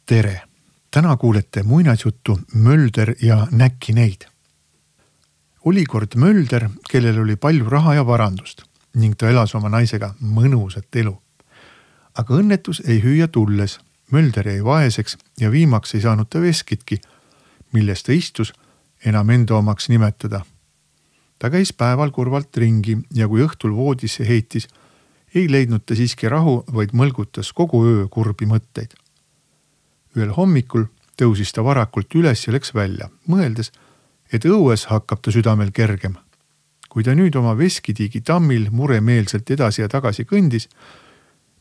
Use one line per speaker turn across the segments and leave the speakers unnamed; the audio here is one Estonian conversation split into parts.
Tere! Täna kuulete muinasjuttu Mölder ja Näkkineid. Oli kord Mölder, kellel oli palju raha ja varandust ning ta elas oma naisega mõnusat elu. Aga õnnetus ei hüüa tulles. Mölder jäi vaeseks ja viimaks ei saanud ta veskitki, milles ta istus enam enda omaks nimetada. Ta käis päeval kurvalt ringi ja kui õhtul voodisse heitis, ei leidnud ta siiski rahu, vaid mõlgutas kogu öö kurbi mõtteid. Ühel hommikul tõusis ta varakult üles ja läks välja, mõeldes, et õues hakkab ta südamel kergem. Kui ta nüüd oma veskitiigi tammil muremeelselt edasi ja tagasi kõndis,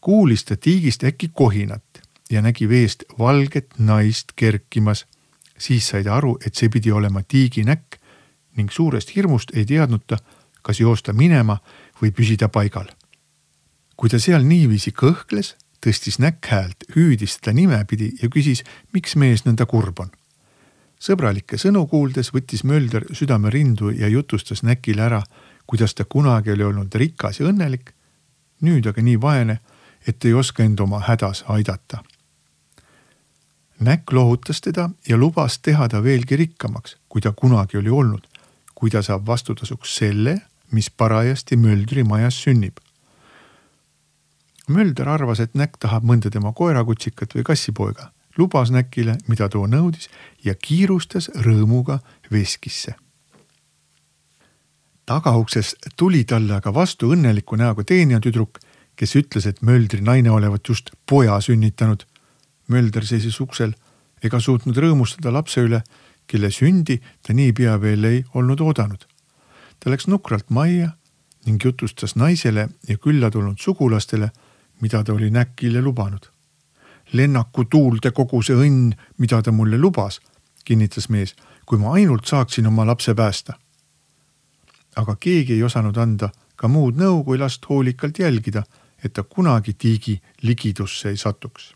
kuulis ta tiigist äkki kohinat ja nägi veest valget naist kerkimas. Siis sai ta aru, et see pidi olema tiigi näkk ning suurest hirmust ei teadnud ta, kas joosta minema või püsida paigal. Kui ta seal niiviisi kõhkles, tõstis näkk häält, hüüdis teda nimepidi ja küsis, miks mees nõnda kurb on. Sõbralikke sõnu kuuldes võttis Mölder südame rindu ja jutustas näkile ära, kuidas ta kunagi oli olnud rikas ja õnnelik, nüüd aga nii vaene, et ei oska end oma hädas aidata. Näkk lohutas teda ja lubas teha ta veelgi rikkamaks, kui ta kunagi oli olnud, kui ta saab vastutasuks selle, mis parajasti Möldri majas sünnib. Mölder arvas, et näkk tahab mõnda tema koerakutsikat või kassipoega, lubas näkile, mida too nõudis ja kiirustas rõõmuga veskisse. Tagaukses tuli talle aga vastu õnneliku näoga teenijatüdruk, kes ütles, et Möldri naine olevat just poja sünnitanud. Mölder seisis uksel ega suutnud rõõmustada lapse üle, kelle sündi ta nii pea veel ei olnud oodanud. Ta läks nukralt majja ning jutustas naisele ja külla tulnud sugulastele, mida ta oli näkile lubanud. Lennaku tuulde kogu see õnn, mida ta mulle lubas, kinnitas mees, kui ma ainult saaksin oma lapse päästa. Aga keegi ei osanud anda ka muud nõu, kui last hoolikalt jälgida, et ta kunagi tiigi ligidusse ei satuks.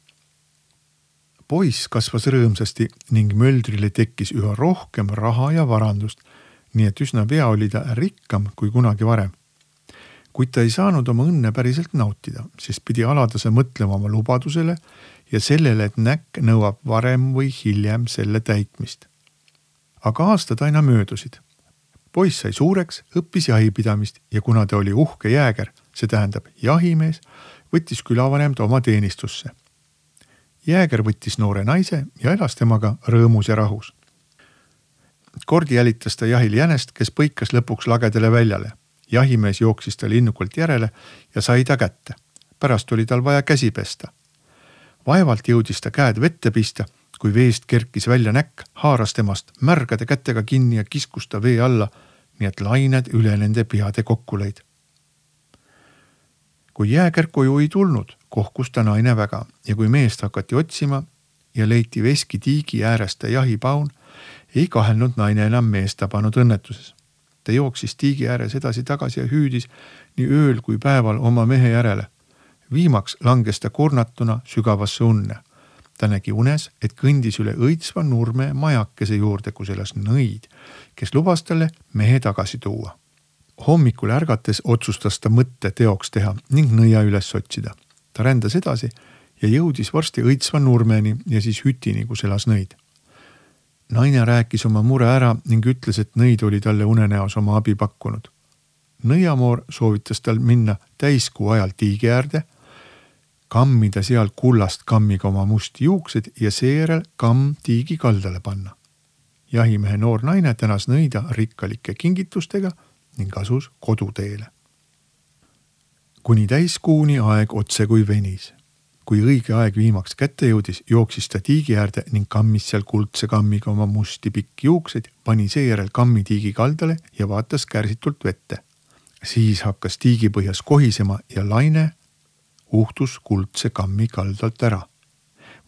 Poiss kasvas rõõmsasti ning Möldrile tekkis üha rohkem raha ja varandust, nii et üsna pea oli ta rikkam kui kunagi varem. Kuid ta ei saanud oma õnne päriselt nautida, sest pidi aladase mõtlema oma lubadusele ja sellele, et näkk nõuab varem või hiljem selle täitmist. Aga aastad aina möödusid. Poiss sai suureks, õppis jahipidamist ja kuna ta oli uhke jääger, see tähendab jahimees, võttis külavanem ta oma teenistusse. Jääger võttis noore naise ja elas temaga rõõmus ja rahus. Kord jälitas ta jahil jänest, kes põikas lõpuks lagedale väljale. Jahimees jooksis ta linnukalt järele ja sai ta kätte. Pärast oli tal vaja käsi pesta. Vaevalt jõudis ta käed vette pista, kui veest kerkis välja näkk, haaras temast märgade kätega kinni ja kiskus ta vee alla, nii et lained üle nende peade kokku lõid. Kui jääger koju ei tulnud, kohkus ta naine väga ja kui meest hakati otsima ja leiti veski tiigi äärest ta jahipaun, ei kahelnud naine enam meest tabanud õnnetuses. Ta jooksis tiigi ääres edasi tagasi ja hüüdis nii ööl kui päeval oma mehe järele. Viimaks langes ta kurnatuna sügavasse unne. Ta nägi unes, et kõndis üle õitsva nurme majakese juurde, kus elas nõid, kes lubas talle mehe tagasi tuua. Hommikul ärgates otsustas ta mõtte teoks teha ning nõia üles otsida. Ta rändas edasi ja jõudis varsti õitsva nurmeni ja siis hütini, kus elas nõid. Naine rääkis oma mure ära ning ütles, et nõid oli talle unenäos oma abi pakkunud. Nõiamoor soovitas tal minna täiskuu ajal tiigi äärde, kammida seal kullast kammiga oma musti juuksed ja seejärel kamm tiigi kaldale panna. Jahimehe noor naine tänas nõida rikkalike kingitustega ning asus koduteele. Kuni täiskuuni aeg otse kui venis. Kui õige aeg viimaks kätte jõudis, jooksis ta tiigi äärde ning kammis seal kuldse kammiga oma musti pikki juuksed, pani seejärel kammi tiigi kaldale ja vaatas kärsitult vette. Siis hakkas tiigi põhjas kohisema ja laine uhtus kuldse kammi kaldalt ära.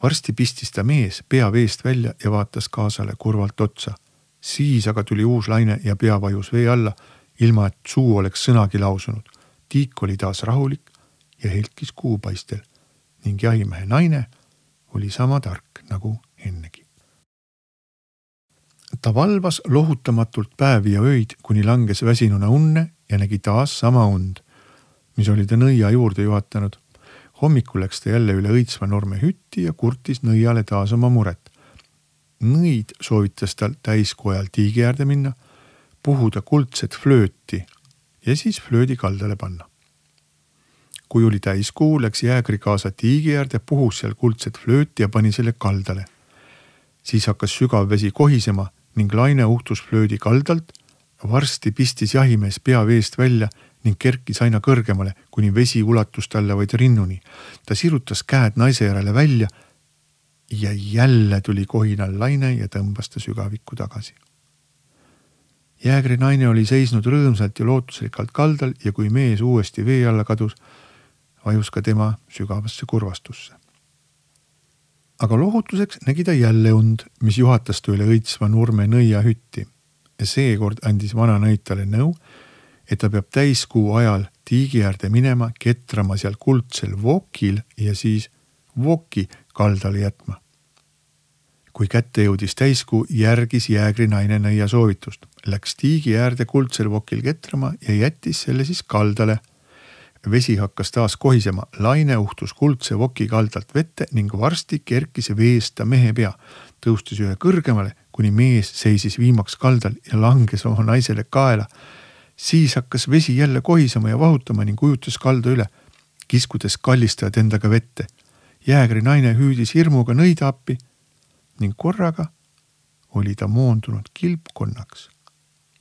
Varsti pistis ta mees pea veest välja ja vaatas kaasale kurvalt otsa. Siis aga tuli uus laine ja pea vajus vee alla, ilma et suu oleks sõnagi lausunud. Tiik oli taas rahulik ja helkis kuupaistel. Ning jahimehe naine oli sama tark nagu ennegi. Ta valvas lohutamatult päevi ja öid, kuni langes väsinuna unne ja nägi taas sama und, mis oli ta nõia juurde juhatanud. Hommikul läks ta jälle üle Õitsva Nurme hütti ja kurtis nõiale taas oma muret. Nõid soovitas tal täiskuu ajal tiigi äärde minna, puhuda kuldset flööti ja siis flöödi kaldale panna. Kui oli täiskuu, läks jäägri kaasa tiigi äärde, puhus seal kuldset flööti ja pani selle kaldale. Siis hakkas sügav vesi kohisema ning laine uhtus flöödi kaldalt. Varsti pistis jahimees pea veest välja ning kerkis aina kõrgemale, kuni vesi ulatus talle vaid rinnuni. Ta sirutas käed naise järele välja ja jälle tuli kohinal laine ja tõmbas ta sügavikku tagasi. Jäägri naine oli seisnud rõõmsalt ja lootusrikkalt kaldal ja kui mees uuesti vee alla kadus, vajus ka tema sügavasse kurvastusse. Aga lohutuseks nägi ta jälle und, mis juhatas ta üle Õitsva Nurme nõia hütti. Ja seekord andis vana nõid talle nõu, et ta peab täiskuu ajal tiigi äärde minema, ketrama seal kuldsel vokil ja siis voki kaldale jätma. Kui kätte jõudis täiskuu, järgis jäägri naine nõia soovitust. Läks tiigi äärde kuldsel vokil ketrama ja jättis selle siis kaldale. Vesi hakkas taas kohisema, laine uhtus kuldse voki kaldalt vette ning varsti kerkis veesta mehe pea. Tõustis ühe kõrgemale, kuni mees seisis viimaks kaldal ja langes oma naisele kaela. Siis hakkas vesi jälle kohisema ja vahutama ning ujutas kalda üle, kiskudes kallistajad endaga vette. Jäägri naine hüüdis hirmuga nõida appi ning korraga oli ta moondunud kilpkonnaks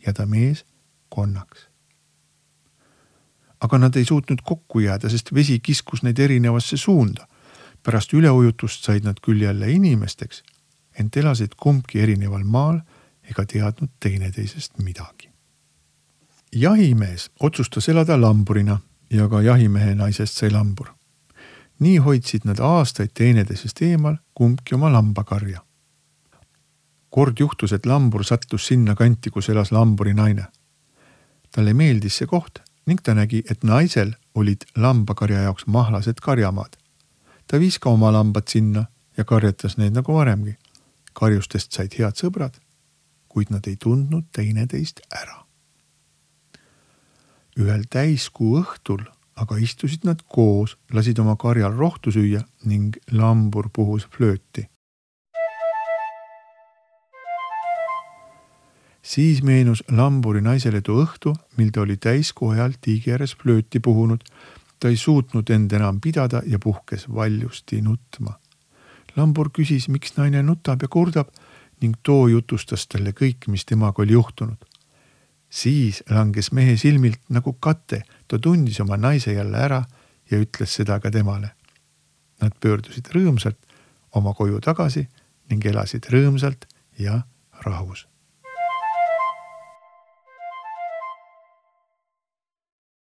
ja ta mees konnaks. Aga nad ei suutnud kokku jääda, sest vesi kiskus neid erinevasse suunda. Pärast üleujutust said nad küll jälle inimesteks, ent elasid kumbki erineval maal ega teadnud teineteisest midagi. Jahimees otsustas elada lamburina ja ka jahimehe naisest sai lambur. Nii hoidsid nad aastaid teineteisest eemal kumbki oma lambakarja. Kord juhtus, et lambur sattus sinna kanti, kus elas lamburi naine. Talle meeldis see koht ning ta nägi, et naisel olid lambakarja jaoks mahlased karjamaad. Ta viis ka oma lambad sinna ja karjatas neid nagu varemgi. Karjustest said head sõbrad, kuid nad ei tundnud teineteist ära. Ühel täiskuu õhtul aga istusid nad koos, lasid oma karjal rohtu süüa ning lambur puhus flööti. Siis meenus lamburi naisele too õhtu, mil ta oli täiskuu ajal tiigi ääres flööti puhunud. Ta ei suutnud end enam pidada ja puhkes valjusti nutma. Lambur küsis, miks naine nutab ja kurdab ning too jutustas talle kõik, mis temaga oli juhtunud. Siis langes mehe silmilt nagu kate, ta tundis oma naise jälle ära ja ütles seda ka temale. Nad pöördusid rõõmsalt oma koju tagasi ning elasid rõõmsalt ja rahus.